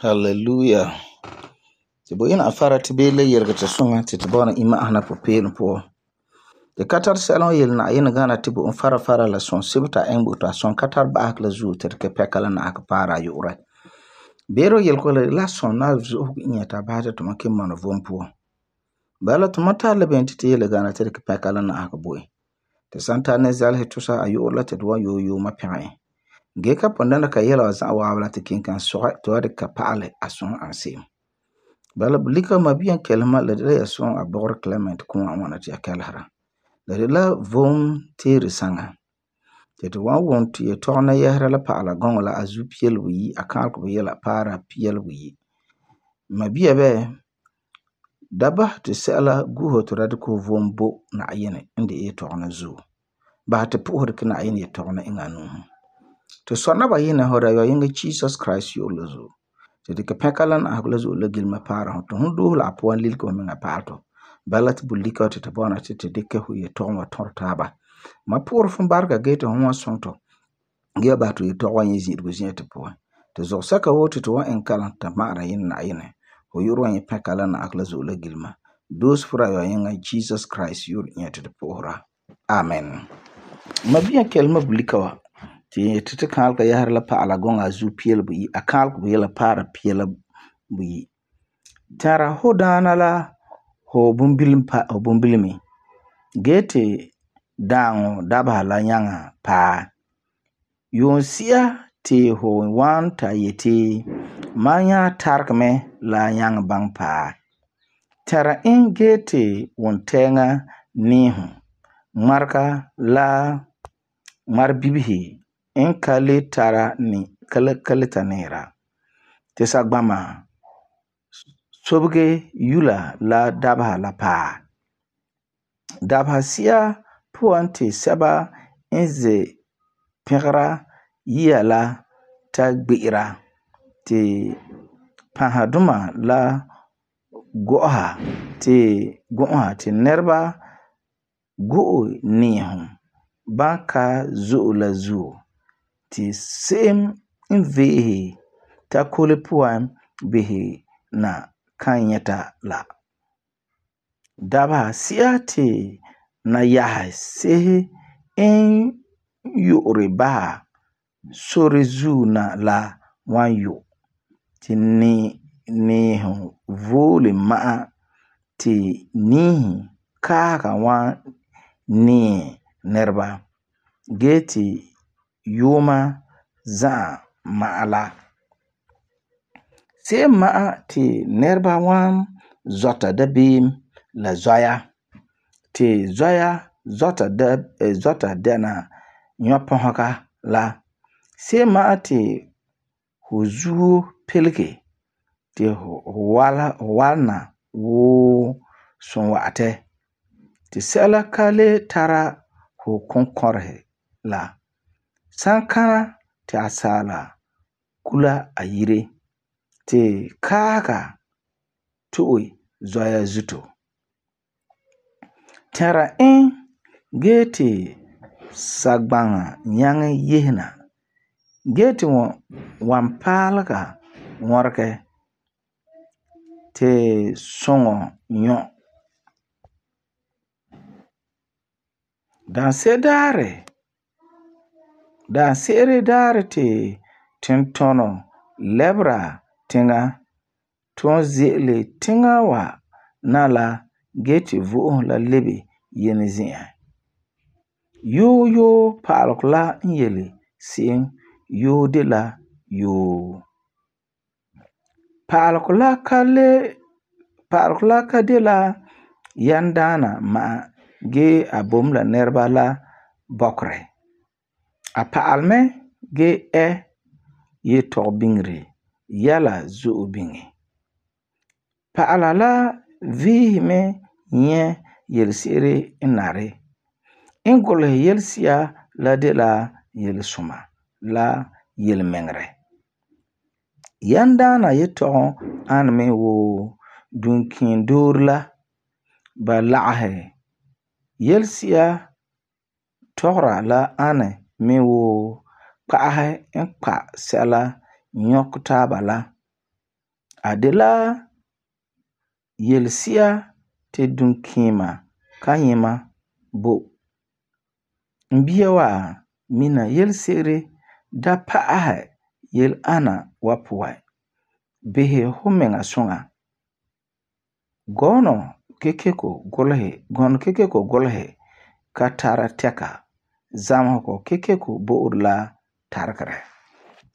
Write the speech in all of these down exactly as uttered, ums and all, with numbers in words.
Hallelujah. Ti bo ina afara ti bee la yelege ti suŋa ti ti bɔna imma'asum na pupeelum puan. Ti ka tar sɛla n yele Na'ayinɛ gana ti bo n fara fara la sɔn sebo ta iŋɛ bo to a sɔn ka tar ba'asegɔ la zuo ti dikɛ pɛka la na'asegɔ paara a yu'urɛ. Beere yelego la la sɔn na zo'osego n nyɛ ta basɛ ti tuma ken mɔna vom puan. Bala tuma tar la beni ti ti yele gana ti dikɛ pɛka la na'asegɔ bo e. Ti san ta ne zalesi tusa a yu'urɛ la ti tu wan yoo yooma pɛgɛ e. Gee ka pun dɛna ka yela wa za'a waaba la ti ken kan sɔgɛ ti wa dikɛ ka pa'alɛ a sɔŋ an se'em. Bala bulika mabiyan kelema la de la ya sɔŋ a bɔgɔrɛ Clement kuma ŋwana ti ya kɛlesera. La de la vom teere saŋa. Ti tu wan wum ti ya tɔgena yɛsera la pa'ala gɔŋɔ la a zu piɛle buyi a kaalego buyela paara piɛle buyi. Mabia bɛ da basɛ ti sɛla gu'uho ti da dikɛ fu vom bo Na'ayinɛ n de yetɔgena zuo. Basɛ ti pu'usi dikɛ Na'ayinɛ yetɔgena iŋɛ a nu'usi. Ti sɔna ba yinɛ hu da yɔyeŋa Jesus Christ yu'urɛ la zuo. Ti dikɛ pɛka la na'asegɔ la zuo la gilema paara hu. Ti hu doose la a puan lilige hu miŋa pa'alɛ tɔ. Bala ti bulika ti tu bɔna ti tu dikɛ hu yetɔgom wa tɔrɛ taaba. Ma pu'urɛ fum barega gee ti hu wan sɔŋ tɔ. Gee basɛ ti yetɔgom wa nyɛ zi'irego zi'an ti puan. Ti zɔsɛka woo ti tu wan iŋɛ kalam ta ma'ara yinɛ Na'ayinɛ. Hu yu'urɛ wan nyɛ pɛka la na'asegɔ la zuo la gilema. Doose fura yɔyeŋa Jesus Christ yu'urɛ nyɛ ti tu pu'usera. Amen. Mabiyan kelema bulika wa ti ti ti kaalega yɛsera la pa'ala gɔŋɔ a zu piɛle buyi a kaalego buyela paara piɛla buyi. Tara hu daana la hu bumbilim pa hu bumbilimi. Gee ti daaŋɔ dabeha la nyaŋa paa. Yoonsia ti hu wan ta yeti ma nya tarege mɛ la nyaŋa baŋɛ paa. Tara e gee ti wuntɛɛŋa niihu. Ŋmarega la ŋmaribibihi n ka le tara ni ka le ta niira. Ti sagbama sobege yula la dabeha la paa. Dabeha si'a puan ti sɛba n ze pɛgera yia la ta gbe'era ti pãhaduma la go'oha ti go'oha ti nɛreba go'o niihu ban ka zo'e la zuo. Ti se'em n ve'ehe takole puan bisɛ na kan nyɛta la. Dabeha si'a ti na yahe sehe n yu'uri basɛ sore zuo na la wan yu. Ti ni niihu voole ma'a ti niihi kaahega wan niɛ nɛreba. Gee ti yuuma za'a ma'a la. Se'em ma'a ti nɛreba wan zɔta dabeem la zɔya. Ti zɔya zɔta da zɔta dɛna nyɔpɔsega la. Se'em ma'a ti hu zuo pelege ti hu wala hu walena wuu sumwa'atɛ. Ti sɛla ka le tara hu konkɔrehe la. Sankana ti asaala kula a yire. Ti kaahega to'e zɔya zuto. Tara e gee ti sagbaŋa nyaŋɛ yehena. Gee ti wan paalega ŋɔregɛ ti suŋɔ nyɔ. Danse daarɛ Danse'ere daarɛ ti tintɔnɔ lɛbera tiŋa tun ze'ele tiŋa wa na la gee ti vo'osum la lebe yene zi'an. Yoo yoo pa'alegɔ la n yele se'em yoo de la yoo. Pa'alegɔ la ka le pa'alegɔ la ka de la yandaana ma'a gee a bom la nɛreba la bɔkerɛ. A pa'alɛ mɛ gee ɛ yetɔgɔbiŋere yɛla zo'e biŋe. Pa'ala la viisɛ mɛ nyɛ yelese'ere n nari. N gulesɛ yelesi'a la de la yelesuma la yelemiŋerɛ. Yandaana yetɔgom ani mɛ wuu duŋkiindoore la ba lagehɛ yelesi'a tɔgera la ani mɛ wuu kpa'asi n kpa sɛla nyɔkɛ taaba la A de la yelsia te dunkima kanyema bo. Mbia wa mina yelsere da pa'aha yel ana wa puwa. Bihe humenga sunga. Gono kekeko golhe, gono kekeko golhe ka tara teka. Zamako kekeko bo urla tarkare.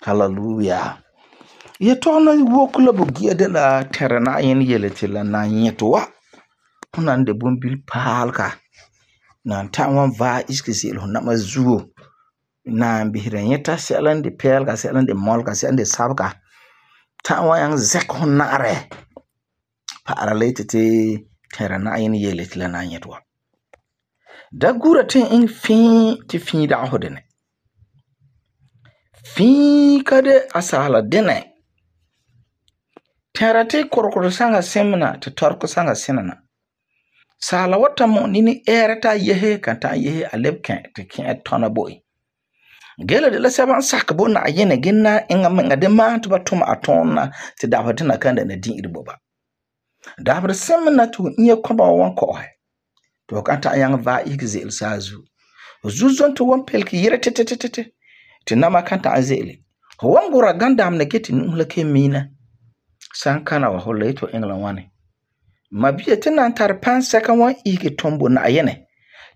Hallelujah. Ye tona wokula bugia de la terana yen yele te la na nyetwa. Hunan de bumbil palka. Nan ta'wan va iski zil hon nama zuo. Nan bihira nyeta selan de pelka selan de molka selan de sabka. Ta'wan yang zek hon nare. Para lete te terana yen yele te la na nyetwa. Da gura te in fin te fin da hodene. Fin kade asala dene. Terate korokoro sanga semna te torko sanga senana. Sala wata mo nini erata yehe kanta yehe alebken te ken tona boy. Gele de la saban sakabo na ayene gina inga menga de ma to batuma atona te dapatina kanda na din irboba. Dabre semna tu nye koba wan ko he. To kanta yang va igzel sazu. Zuzon to wan pelki yere tete tete. Te nama kanta azeli. Wan gura gandam ne geti nulake mina. Sankana wa hola ito England wane. Mabia tinan tar panseka wan ike tombo na ayene.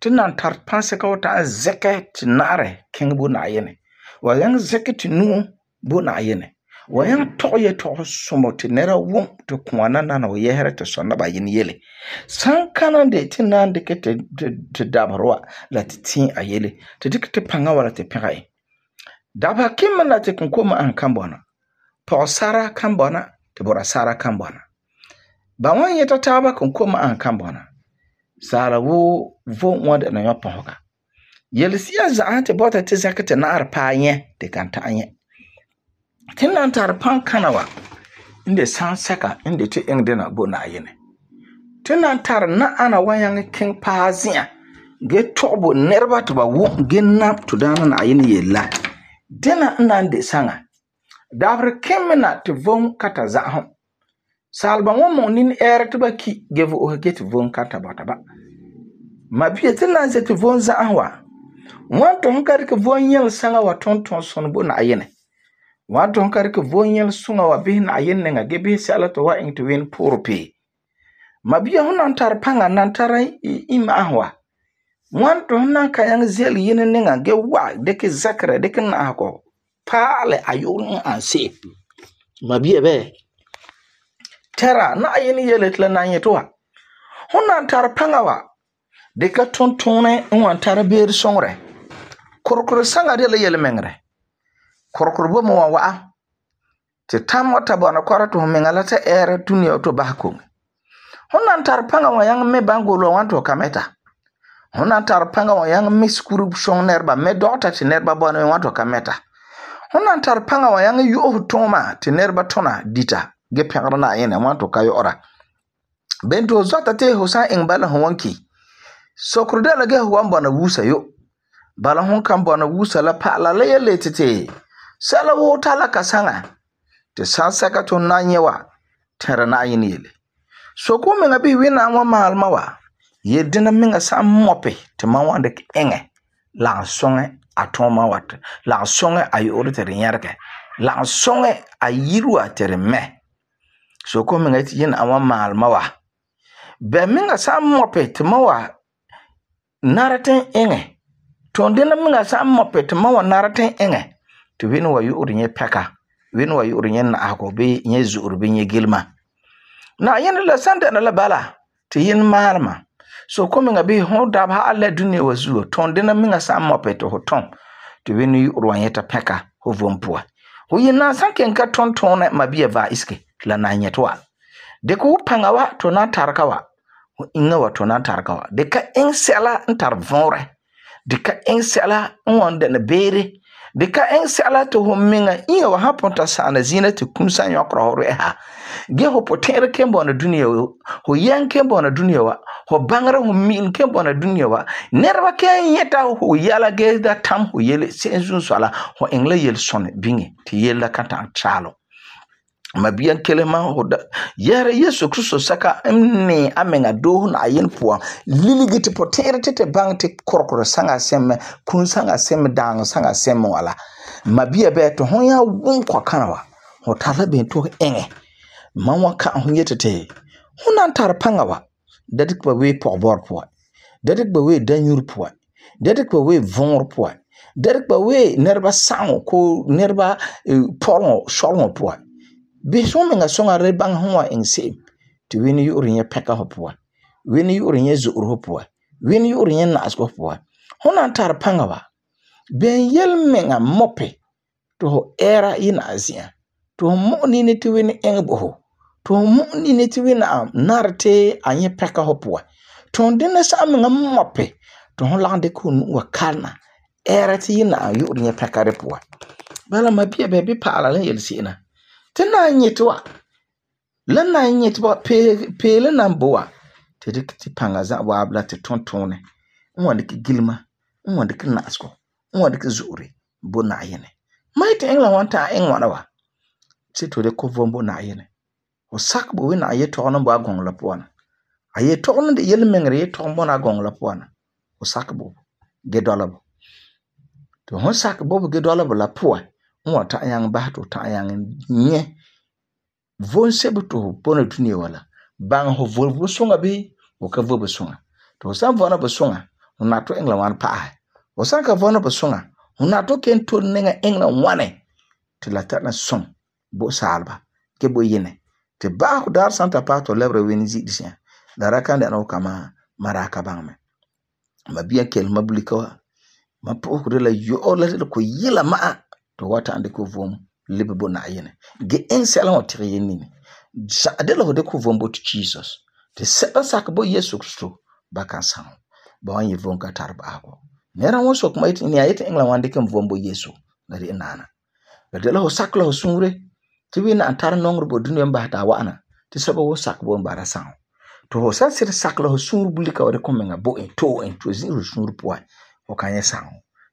Tinan tar panseka wata zeke tinare kengbo na ayene. Wayang zeke tinu bo na ayene. Wayang toye to sumo tinera wum to kwana nana wa yehere te sonna ba yin yele. Sankana de tinan de ke te, te, te dabarwa la te tin ayele. Te dik te panga wala te pirae. Daba kima na te kunkoma an kambona. Pa sara kambona. Te bora sara kambona. Ba wan yeta taba kunkoma an kambona. Sara wo vo mwade na yopa hoka. Yelisia za te bota te zake te naar pa nye te kanta anye. Tinan tar pan kanawa. Inde san seka inde te eng dena bo na ayene. Tinan tar na ana wanyang king pa zia. Ge tobo nerba to ba wo gen nap to dana na ayene yela. Dena nande sanga. Davre kemena te von kata zahon. Salba womo nin ere te ba ki gevo o get von kata bata ba. Mabie te na ze te von zahwa. Wanto honkari ke von yel sanga wa tonton son bo na ayene. Wanto honkari ke von yel sunga wa bihin ayene nga gebe sala to wa ing to win porope. Mabie honan tar panga nan tara ima ahwa. Wanto honan kayang zel yene nga ge wa deke zakre deke na ako. Pale ayoni anse. Mabie be. Tera na ayeni yeletla na nyetwa. Hona tar pangawa. Deka tontone nwan tar beer songre. Korokoro sanga de la yele mengre. Korokoro bo mo wa. Te tam wata bona kwara to mengala ta ere dunia to bahko. Hona tar pangawa yang me bangolo wanto kameta. Hona tar pangawa yang me skuru song nerba me dota ti nerba bona wanto kameta. Honan tar panga wa yang yu toma te nerba tona dita ge pengara na yene wanto kayo ora. Bento zota te hosan ing bala hwanki. Sokruda la ge hwan bona wusa yo. Bala hon kan bona wusa la pa la le le tete. Sala wo tala kasanga. Te sansaka to nanyewa tera na yene yele. So ko menga bi wina wa malma wa. Ye dina menga sa mope te mawande ki enge. La songe atoma wat la songe ay orite nyarke la songe ayiru atere me so ko menga ti yin awa mal mawa be menga sam mopet mawa naraten enge tonde na menga sam mopet mawa naraten enge to win wa yu urinye peka win wa yu urinye na akobe nye zuru be nye gilma na yin la sanda na la bala ti yin malma. So coming a be hon dab ha alle dunia wazuo ton dena minga sa mopeto ho ton to winu urwanyeta peka ho vompua ho yina sanke nka ton ton ma bia va iske la na nyetwa de ko pangawa to na tarkawa ho inga wa to na tarkawa de ka ensela ntar vonre de ka ensela wonde na bere de ka ensela to ho minga inga wa haponta sana zina te kumsa nyokro hore ha ge ho potere kembo na dunia ho yan kembo na dunia wa ho bangara ho min kembo na dunia wa nerba ke yeta ho yala ge da tam ho yele senzun sala ho engle yel son bingi ti yela kanta chalo Mabiyan kele ma hoda yare Yesu Kristo saka mne amenga do na ayen puan liligi te potere te te bang te korkoro sanga sem kun sanga sem dang sanga sem wala mabia be to hon ya won kwa kanawa ho tala be to enge manwa ka hon yete te honan tar pangawa dadik ba we po bor po dadik ba we danyur po dadik ba we vonor po dadik ba we nerba sango ko nerba polon sholon po be so menga songa re bang hwa engse ti weni yuri nya peka hopwa weni yuri nya zuur hopwa weni yuri nya nas hopwa honan tar pangawa ben yel menga mope to era ina azia to mo ni ne ti weni engbo to mo ni ne ti weni narte anye peka hopwa to ndene sa menga mope to hon lande kun wa kana era ti ina yuri nya peka repwa bala mabia be bi pala len yel sina tena nyetwa lana nyetwa pe pe lana boa te dik ti panga za wa abla te tontone nwande ki gilma nwande ki nasko nwande ki zuri bo na yene mai te engla wanta engwana wa ti to de ko vombo na yene o sak bo we na ye to no bo agon la pona aye to no de yel mengre ye to bo na agon la pona o sak bo ge dolabo to hon sak bo ge dolabo la poa nwa ta yang ba to ta yang nye von sebuto bona dunia wala bang ho volvo songa be o ka vobo songa to san vona bo songa na to engla wan pa o san ka vona bo songa na to ken to nenga engla wane te la ta na son bo salba ke bo yene te ba ko dar santa pato lebre weni zi disia dara kan da no kama maraka bang me mabia kel mabulika ma po ko de la yo la ko yila ma to wata ande ko vom libe bo na yene ge en sala o tire ni sa de la de ko vom bo to Jesus te seba sak bo Yesu Kristo ba kan san ba wan ye vom ka tarba ko nera won sok mai ni ayete engla wan de kan vom bo Yesu na de nana de la ho sak la ho sunre ti wi na antar nongro bo dunya ba ta wana te seba wo sak bo mbara san to ho sa sir sak la ho sunru bulika o de ko menga bo en to en to zin ru sunru po o kan ye san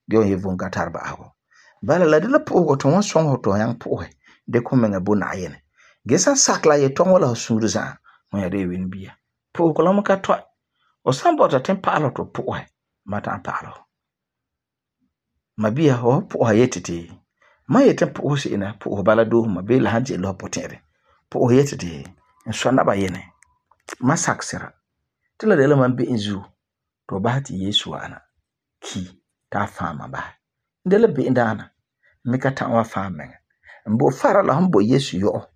ge on ye vom ka tarba ko bala la de la po to won son ho to yang po de ko menga bo na yene gesa sakla ye to wala suru za mo ya de win bia po ko la mo ka to o sambo ta tempa lo to po mata pa lo mabia ho po ha yetete ma yete po si ina po bala do ma be la hanje lo potere po yetete so na ba yene masaksira tila de la man be inzu to ba ti Yesu ana ki ta fama ba ndele be ndana meka ta wa fama mbo fara la humbo Yesu yo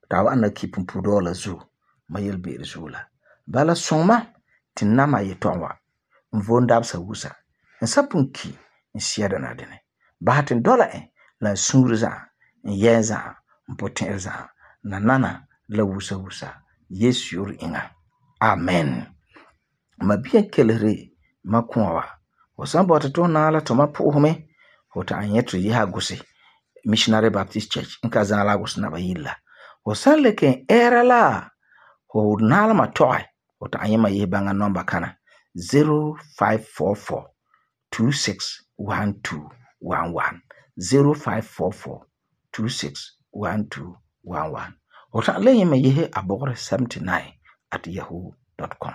ta wa na kipun pudola zu mayel be resula bala soma tinama yetonwa mvonda sa wusa nsapunki nsiada na dene bahatin dola e la sunruza yeza mpotenza na nana la wusa wusa Yesu yur inga amen mabia kelere makunwa wasambo atato na ala to mapuhume hota anyetu yiha gusi Missionary Baptist Church nka zala gusi na bayilla wasanle ken era la ho nala matoy hota anyema yebanga number kana zero five four four two six one two one one zero five four four two six one two one one hota le yema yehe abore seventy-nine at yahoo dot com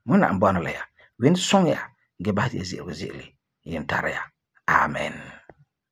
muna ambana la ya win song ya gebati zero zero yin taraya amen.